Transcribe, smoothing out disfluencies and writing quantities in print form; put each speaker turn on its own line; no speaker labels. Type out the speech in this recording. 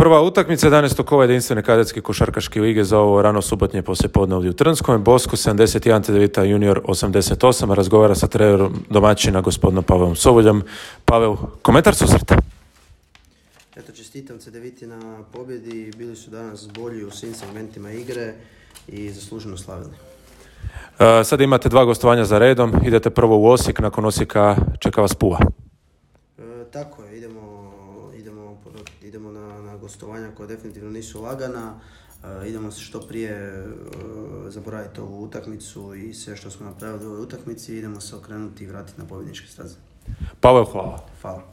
Prva utakmica 11. kova jedinstvene kadetske košarkaške lige za ovo rano subotnje poslijepodne ovdje u Trnskom. Bosko 71 Cedevita junior 88. Razgovara sa trenerom domaćina gospodinom Pavelom Soboljom. Pavel, komentar susreta?
Eto, čestitam Cedeviti na pobjedi. Bili su danas bolji u svim segmentima igre i zasluženo slavili.
Sad imate 2 gostovanja za redom. Idete prvo u Osijek, nakon Osijeka čeka vas Pula.
Tako je, idemo na gostovanja koja definitivno nisu lagana. Idemo se što prije zaboraviti ovu utakmicu i sve što smo napravili u ovoj utakmici. Idemo se okrenuti i vratiti na pobjedničke staze.
Pavel, hvala.
Hvala.